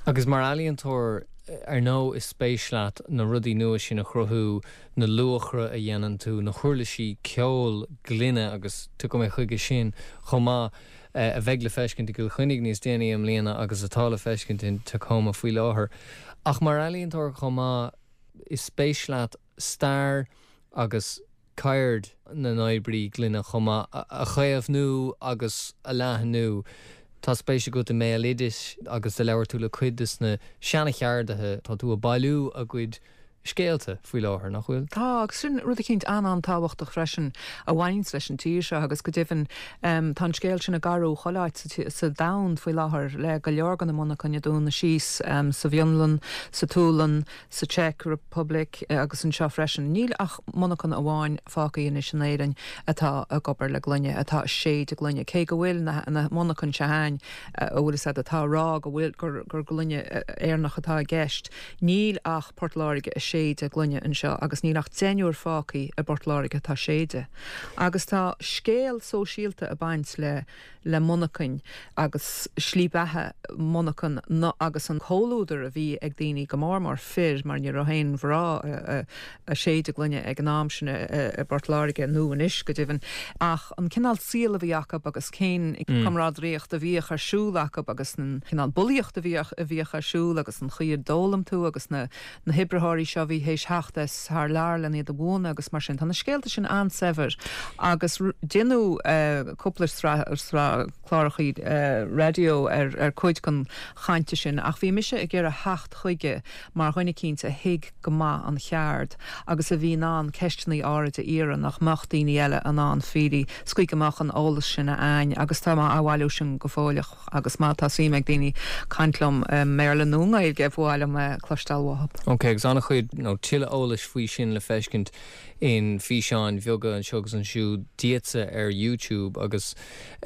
Agus mar ealaíontóir ar ndóigh is spéis leat na rudaí nua sin a chruthú na luachra a dhéanann tú na huirlisí ceoil gloine agus tiocfaidh mé chuige sin chomh maith a bheidh le feiscint i gCill Chainnigh níos déanaí i mbliana agus atá le feiscint in Tacoma faoi láthair. Ach mar ealaíontóir chomh maith is spéis leat stair agus ceird na n-oibrí gloine chomh maith a chaomhnú agus a leathnú. Tá spéis agat i mbéaloideas agus do labhair tú le cuid de na seana-cheardaithe tá tú ag bailiú a gcuid scéalta faoi láthair nach bhfuil? Tá agus sin rud eicínt an-an-tábhachtach freisin a bhaineann leis an tír seo agus go deimhin um, tá an scéal sin ag athrú chuile áit sa, sa domhan faoi láthair le go leor de na monarchana ag dúnadh síos um, sa bhFionlainn, sa tSualainn, sa Czech Republic eh, agus anseo freisin. Níl ach monarcha amháin fágtha anois in Éirinn atá ag obair le gloine atá ag séideadh gloine. Cé go bhfuil na, na monarchana seo againn a bhfuil siad atá rá go bhfuil gur, gur gloine Éireannach atá i gceist. Níl ach Port Láirge ag séideadh gloine anseo agus níl ach deichniúr fágtha i bPort Láirge atá ag séideadh. Agus tá scéal sóisialta ag baint le le monarchain agus slí beatha monarchan no, agus an comhluadar a bhí ag daoine go mór mór fir mar ní raibh aon mhná ag séideadh gloine ag an am sin i bPort Láirge nó anois go deimhin ach an cineál saoil a bhí acu agus cén mm. comrádaíocht a bhíodh ar siúl acu agus an cineál bulaíocht a bhíodh a bhíodh ar siúl agus an chaoi ar d'fhoghlaim tú agus na na hoibritheoirí seo bhí théis theacht as thar lear le iad a mhúineadh agus mar sin tá na scéalta sin an-saibhir agus déanadh uh, cúpla sraith cláracha uh, raidió ar ar cuid den chaint sin ach bhí mise ag iarraidh theacht chuige mar dhuine eicínt a thuig go maith an cheard agus a bhí in ann ceisteanna áirithe a iarraidh nach mbeadh daoine eile in ann fáil sa chaoi go mbeadh an eolas sin againn agus tá mé á bhailiú sin go fóilleach agus má tá suim ag daoine caint liom um, Béarla nó Gaeilge ba mhaith liom uh, cloisteáil uathu. Ok, agus an-chuid nó tuilleadh eolais faoi sin le feiscint in físeáin bheaga anseo agus ansiúd díotsa ar YouTube agus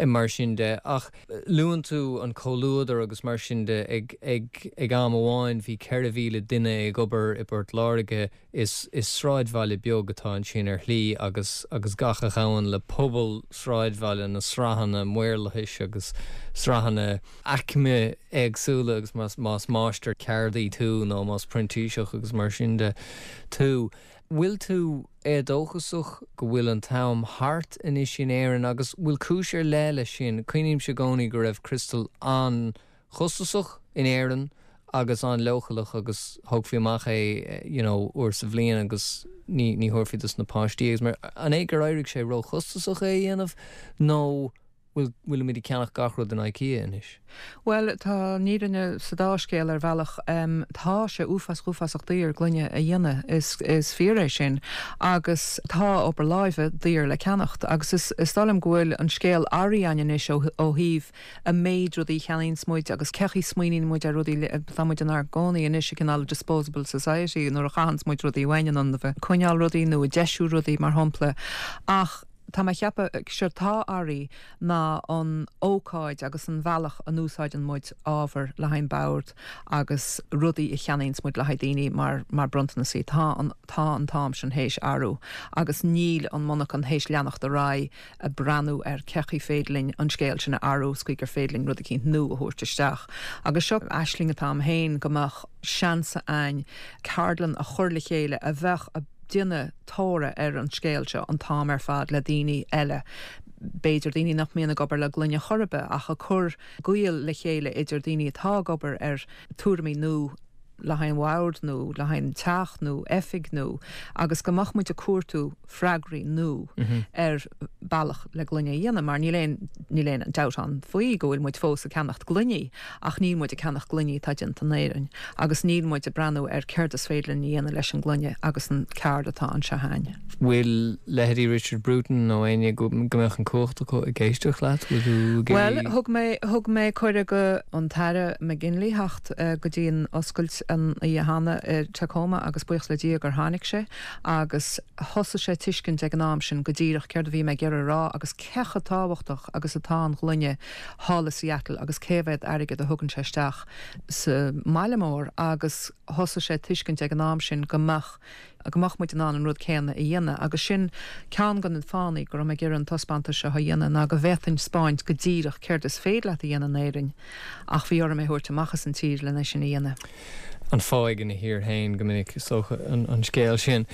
mar sin de ach luann tú an comhluadar agus mar sin de ag ag ag am amháin bhí ceithre mhíle duine ag obair i bPort Láirge is is sráidbhaile beag atá ansin ar shlí agus agus gach a ghabhann le pobal sráidbhaile na sraitheanna maorlathais agus sraitheanna aicme éagsúla agus más más máistir ceardaí tú nó más printíseach agus mar sin de tú. Bhfuil tú éadóchasach go bhfuil an t-am thart anois in Éirinn agus bhfuil cúis ar leith leis sin cuimhním i gcónaí go raibh criostal an-chostasach in Éirinn agus an-leochaileach agus thógfaí amach é you know, uair sa bhliain agus ní ní thabharfaí dos na páistí agus mar an é gur éirigh sé róchostasach é dhéanamh nó bhfuil bhfuilimid ag ceannach gach rud in IKEA anois? Bhuel tá an fhírinne sa dá scéal ar bhealach. Tá sé uafásach uafásach daor gloine a dhéanamh, is is fíor é sin agus tá obair láimhe daor le ceannacht agus is is dóigh liom go bhfuil an scéal athraithe againn anois ó ó thaobh an méid rudaí a cheannaíonns muid agus cé chaoi smaoiníonn muid ar rudaí tá muid inár gcónaí anois i gcineál disposable society nuair a chaitheanns muid rudaí uainn in ionad a bheith ag coinneáil rudaí nó ag deisiú rudaí mar shampla ach Tá mé ag ceapadh séard atá athraithe ná an ócáid agus an bhealach a n-úsáideann muid ábhar le haghaidh an bord agus rudaí a cheannaíonns muid le haghaidh daoine mar mar bronntanasaí. Tá an tá an t-am sin théis athrú agus níl an monarchan théis leanacht ar aghaidh ag breathnú ar cé chaoi féidir linn an scéal sin a athrú is chaoi gur féidir linn rud eicínt nua a thabhairt isteach. Agus seo aisling atá a'm féin go mbeadh seans a'ainn ceardlann a chur le chéile a bheadh a déanamh tóra ar an scéal seo an t-am ar fad le daoine eile, b'fhéidir daoine nach mbíonn ag obair le gloine chor ar bith ach ag cur gaol le chéile idir daoine atá ag obair ar tuairimí nua le haghaidh an bhoird nó le haghaidh an teach nó oifig nó agus go mbeadh muid ag cuartú freagraí nua ar bealach le gloine a dhéanamh mar níl aon níl aon dabht ann faoi go bhfuil muid fós ag ceannacht gloiní ach níl muid ag ceannacht gloiní atá déanta in Éirinn agus níl muid ag breathnú ar céard is féidir linn a dhéanamh leis an ngloine agus an ceard atá anseo againn. Bhfuil leithéidí Richard Bruton nó éinne go mbeadh an cumhacht acu ag éisteacht leat? Bhfuil tú ag Bhuel, thug mé thug mé cuireadh go an tAire McGinley theacht go dtí an oscailt an oíche cheana i Tacoma agus buíochas le Dia gur tháinig sé agus thosaigh sé tuiscint ag an am sin go díreach céard a bhí mé ag iarraidh a rá agus cé chomh tábhachtach agus atá an ghloine thall i Seattle agus cé mhéad airgead a thugann sé isteach sa mbaile mór agus thosaigh sé tuiscint ag an am sin go mbeadh go mbeadh muid in ann an rud céanna a dhéanamh agus sin ceann de na fáthanna go raibh mé ag iarraidh an taispeántas seo a dhéanamh ná go bhféadfainn 'spáint go díreach céard is féidir leat a dhéanamh in Éirinn ach bhí orm é a thabhairt amach as an tír lena sin a dhéanamh. An fáidh ina thír féin go minic is dócha an scéal sin.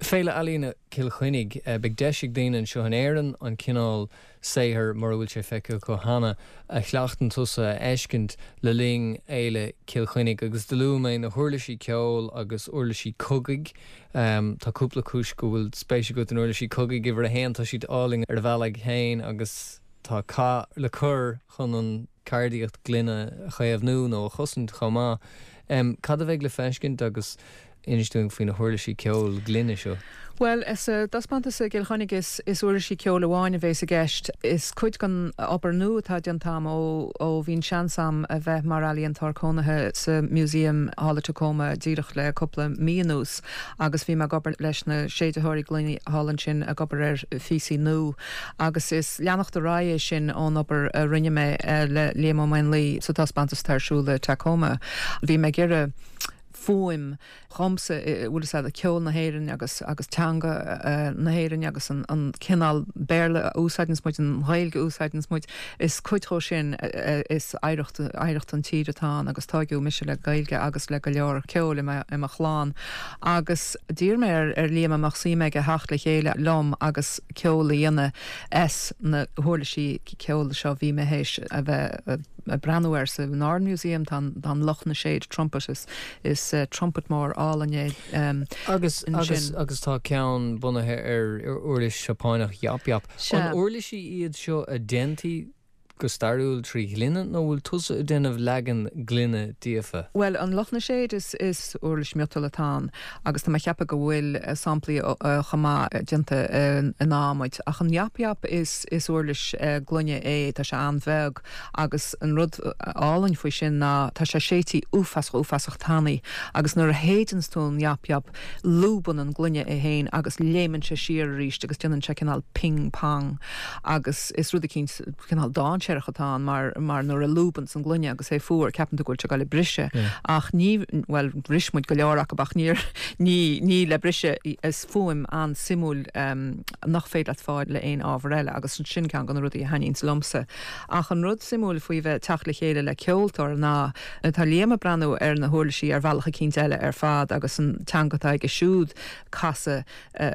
Féile Ealaíne Chill Chainnigh, beidh deis ag daoine anseo in Éirinn an cineál saothair, mura bhfuil sé feicthe acu cheana, a chleachtann tusa a fheiscint le linn Fhéile Chill Chainnigh. Agus do luaigh mé na huirlisí ceoil agus uirlisí cogaidh. Tá cúpla cúis go bhfuil spéis agat in uirlisí cogaidh. Uimhir a haon, tá siad álainn ar a bhealach féin agus tá cath le cur chun an cheardaíocht gloine a chaomhnú nó a chosaint chomh maith. Cad a bheidh le feiscint agus inis dúinn faoi na huirlisí ceoil gloine seo? Bhuel, sa taispeántas i gCill Chainnigh is is uirlisí ceoil amháin a bhéas i gceist. Is cuid den obair nua atá déanta agam ó ó bhí an seans agam a bheith mar ealaíontóir cónaithe sa Museum thall i Tacoma díreach le cúpla mí anuas agus bhí mé ag obair leis na séiditheoirí gloine thall ansin ag obair ar phíosaí nua agus is leanacht ar aghaidh é sin ón obair a rinne mé le Liam Ó Maonlaí sa taispeántas atá ar siúl i Tacoma. Bhí mé ag iarraidh fuaim dhomsa, bhfuil fhios a'd, ceol na hÉireann agus agus teanga na hÉireann agus an an cineál Béarla a úsáideanns muid, an Ghaeilge a úsáideanns muid, is cuid dhó sin is oidhreacht oidhreacht an tír atá ann agus tóigeadh mise le Gaeilge agus le go leor ceoil i mo i mo chlann agus d'iarr mé ar ar Liam an mbeadh suim aige theacht le chéile liom agus ceol a dhéanamh as na huirlisí ceoil seo bhí mé théis a bheith ag breathnú air sa Northern Museum, tá an tá an Luch na Séad trumpet is is trumpet mór álainn é Agus agus agus tá ceann bunaithe ar uirlis Seapánach yap yap. An uirlisí iad seo a déantaí go stairiúil trí ghloine nó bhfuil tusa ag déanamh leagan gloine díofa? Bhuel, an Luch na Séad is is uirlis miotail atá ann agus tá mé ag ceapadh go bhfuil samplaí chomh maith déanta in adhmaid ach an yap yap is is uirlis gloine é, tá sé an-bheag agus an rud álainn faoi sin ná tá sé séidte uafásach uafásach tanaí agus nuair a shéideanns tú an yap yap lúbann an gloine é féin agus léimeann sé siar arís agus déanann sé cineál ping pong agus is rud eicínt cineál dainséarach atá ann mar mar nuair a lúbanns an gloine agus é fuar ceapann tú go bhfuil sé ag dul ag briseadh ach ní bhuel bhris muid go leor acu ach níor ní ní le briseadh is fuaim an-suimiúil nach féidir leat fáil le aon ábhar eile agus sin ceann de na rudaí a thaitníonns liomsa. Ach an rud suimiúil faoi bheith teacht le chéile le ceoltóir ná tá Liam ag breathnú ar na huirlisí ar bhealach eicínt eile ar fad agus an teanga atá aige siúd casadh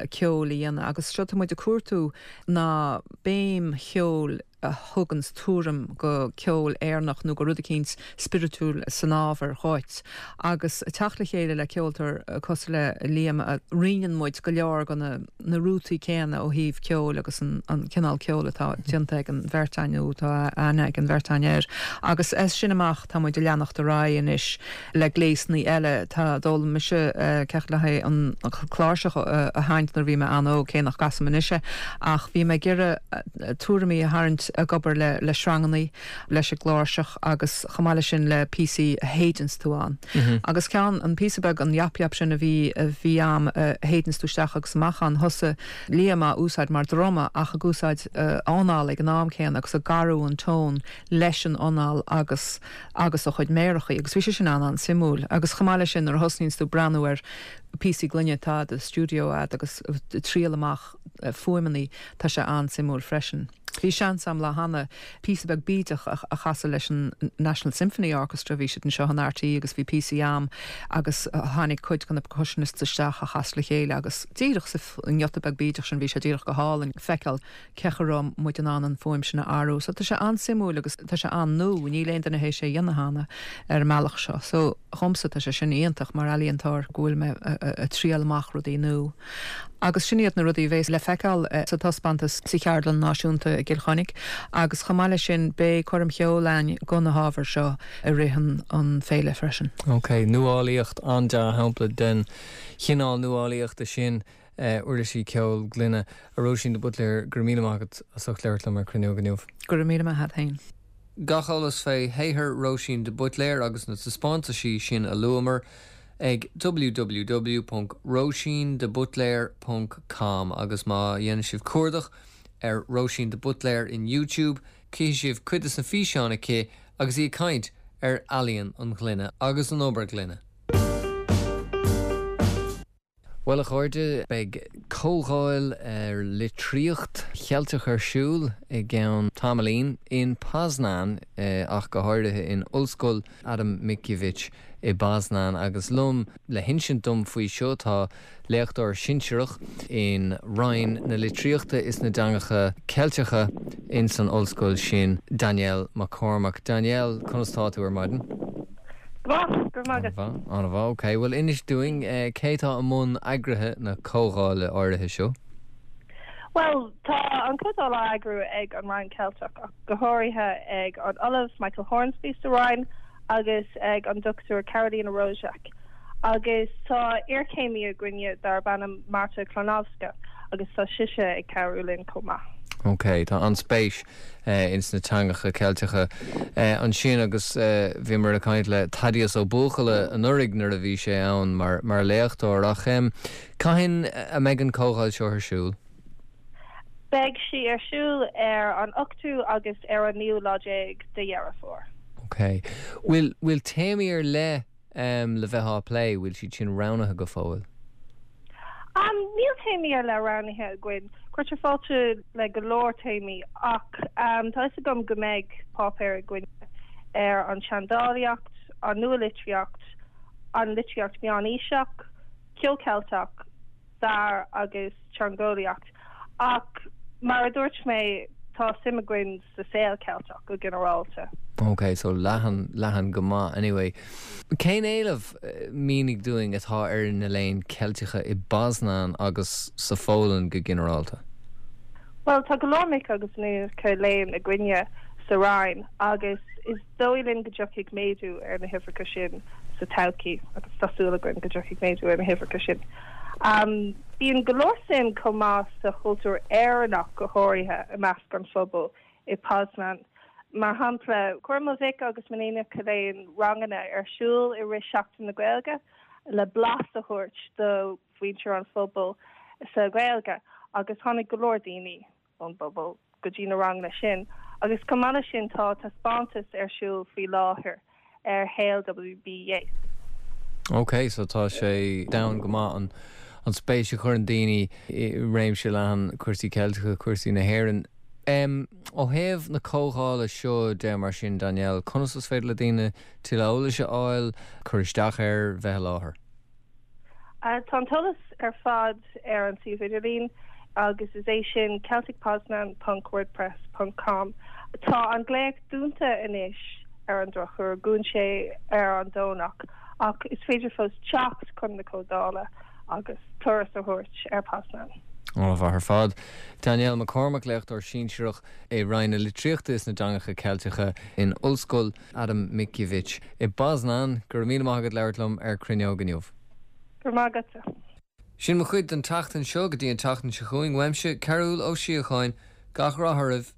ceoil a dhéanamh agus seo tá muid ag cuartú ná béim cheoil a thuganns tuairim go ceol Éireannach nó go rud eicínt spiritiúil san ábhar dhuit. Agus teacht le chéile le ceoltóir cosúil le Liam a roinneann muid go leor de na na rútaí céanna ó thaobh ceoil agus an an cineál ceoil atá déanta ag an bheirt againn nó atá aithne ag an bheirt againn air. Agus as sin amach tá muid ag leanacht ar aghaidh anois le gléasanna eile tá d'fhoghlaim mise ceacht le haghaidh an chláirseach a sheinnt nuair bhí mé an-óg cé nach gcasaim anois é ach bhí mé ag iarraidh tuairimí a tharraingt ag obair le le srangannaí leis an gcláirseach agus chomh maith leis sin le píosaí a shéideanns tú ann. Agus ceann an píosa beag an yap yap sin a bhí a bhí am a shéideanns tú isteach agus amach ann thosaigh Liam á úsáid mar druma ach ag úsáid anáil ag an am céanna agus ag athrú an tón leis an anáil agus agus a chuid méarachaí agus bhí sé sin an an-suimiúil agus chomh maith leis sin nuair a thosnaíonns tú breathnú ar píosaí gloine atá i do stiúideo agat agus triail amach fuaimeanna tá sé an-suimiúil freisin. Bhí seans agam lá cheana píosa beag bídeach a chasadh leis an National Symphony Orchestra bhí siad anseo in RTÉ agus bhí píosaí agam agus tháinig cuid de na percussionists isteach a chas le chéile agus díreach sa ngiota beag bídeach sin bhí sé díreach go hálainn feiceáil cé chomh raibh muid in ann an fuaim sin a athrú. So tá sé an-suimiúil agus tá sé an-nua, níl aon duine théis é a dhéanamh cheana ar an mbealach seo. So dhomsa tá sé sin iontach mar ealaíontóir go bhfuil mé ag triail amach rudaí nua. Agus sin iad na rudaí a bheas le feiceáil sa taispeántas sa Cheardlann Náisiúnta i gCill Chainnigh, agus chomh maith leis sin beidh coirm cheoil againn do na hábhair seo i rith an, an féile freisin. Ok, nuálaíocht an-dea-shampla den chineál nuálaíochta sin uirlisí ceoil gloine a Róisín de Buitléir go raibh míle maith agat as ucht labhairt liom ar Cruinneog inniu. Go raibh míle maith agat féin. Gach eolas fé shaothar Róisín de Buitléir agus na taispeántaisí sin a luamar ag www ponc róisín de buitléir ponc com agus má dhéanann sibh cuardach ar Róisín de Buitléir in YouTube cífidh sibh cuid de na físeáin aici agus í ag caint ar ealaíon an ghloine agus an obair ghloine. Bhuel a chairde, beidh comhdháil ar litríocht Cheilteach ar siúl i gceann tamaillín in Poznan ach go háirithe in Ollscoil Adam Mickiewicz i bPoznan agus liom le hinsint dom faoi seo tá léachtóir sinsearach in Roinn na Litríochta is na dTeangacha Ceilteacha in san ollscoil sin, Danielle McCormack. Danielle, conas tá tú ar maidin? Go maith, go maith. An-mhaith, ok. Bhuel inis dúinn cé tá i mbun eagraithe na comhdhála áirithe seo? Well, tá an comhdháil á eagrú ag an Roinn Ceilteach ach go háirithe ag an Ollamh Michael Hornsby sa Roinn agus ag an Dr Karolina Rosiak. Agus tá iarchéimí againne darb ainm Marta Klonowska agus tá sise ag cabhrú linn chomh maith. Ok, tá an-spéis ins na teangacha Ceilteacha ansin agus bhíomar ag caint le Thaddeus Ó Buachalla anuraidh nuair a bhí sé ann mar mar léachtóir ach cathain a mbeidh an comhdháil seo ar siúl? Beidh sí ar siúl ar an ochtú agus ar an naoú lá déag de Dheireadh Fómhair. Ok. Bhfuil bhfuil téamaí ar leith le bheith á plé, bhfuil siad sin roghnaithe go fóill? Um, níl téamaí ar leith roghnaithe againn. Cuirtear fáilte le go leor téamaí ach um, tá fhios agam go mbeidh páipéar againn ar an seandálaíocht, an nualitríocht, an litríocht meánaoiseach, ceol Ceilteach, stair agus teangeolaíocht. Ach mar a dúirt mé, tá suim againn sa saol Ceilteach go ginearálta. Ok, so leathan, leathan go maith anyway. Cén éileamh, mínigh dúinn, atá ar na léinn Ceilteacha i bPoznan agus sa Pholainn go ginearálta? Bhuel, tá go leor mic agus iníonacha léinn againne sa Roinn agus is dóigh linn go dtiocfaidh méadú ar na huimhreacha sin sa todhchaí agus tá súil againn go dtiocfaidh méadú ar na huimhreacha sin. Bíonn go leor suim chomh maith sa chultúr Éireannach go háirithe i measc an phobail i Poznan. Mar shampla, chuir mo mhic agus m'iníonacha léinn ranganna ar siúl i rith Seachtain na Gaeilge le blas a thabhairt do mhuintir an phobail sa Ghaeilge agus tháinig go leor daoine ón bpobal go dtí na ranganna sin. Agus chomh maith leis sin tá taispeántas ar siúl faoi láthair ar shaol WB Yeats. Ok, so tá sé domhain go maith an an spéis a chuireann daoine i réimse leathan cúrsaí Ceilteacha, cúrsaí na hÉireann. Em, ó thaobh na comhdhála seo de mar sin, Danielle, conas is féidir le daoine tuilleadh eolais a fháil, cur isteach air, bheith i láthair? Tá an t-eolas ar fad ar an suíomh idirlín agus is é sin celticpoznan ponc wordpress ponc com. Tá an glaoch dúnta anois ar an drochuair, dún sé ar an Domhnach, ach is féidir fós teacht chun na comhdhála agus turas a thabhairt ar Poznan. An-mhaith ar fad. Danielle McCormack léachtóir sinsearach i Roinn na Litríochta is na dTeangacha Ceilteacha in Ollscoil Adam Mickiewicz i bPoznan go raibh míle maith agat labhairt liom ar Cruinneog inniu. Go raibh maith agatsa. Sin mo chuid den tseachtain seo go dtí an tseachtain seo chugainn uaimse Cearúl Ó Síocháin gach rath oraibh.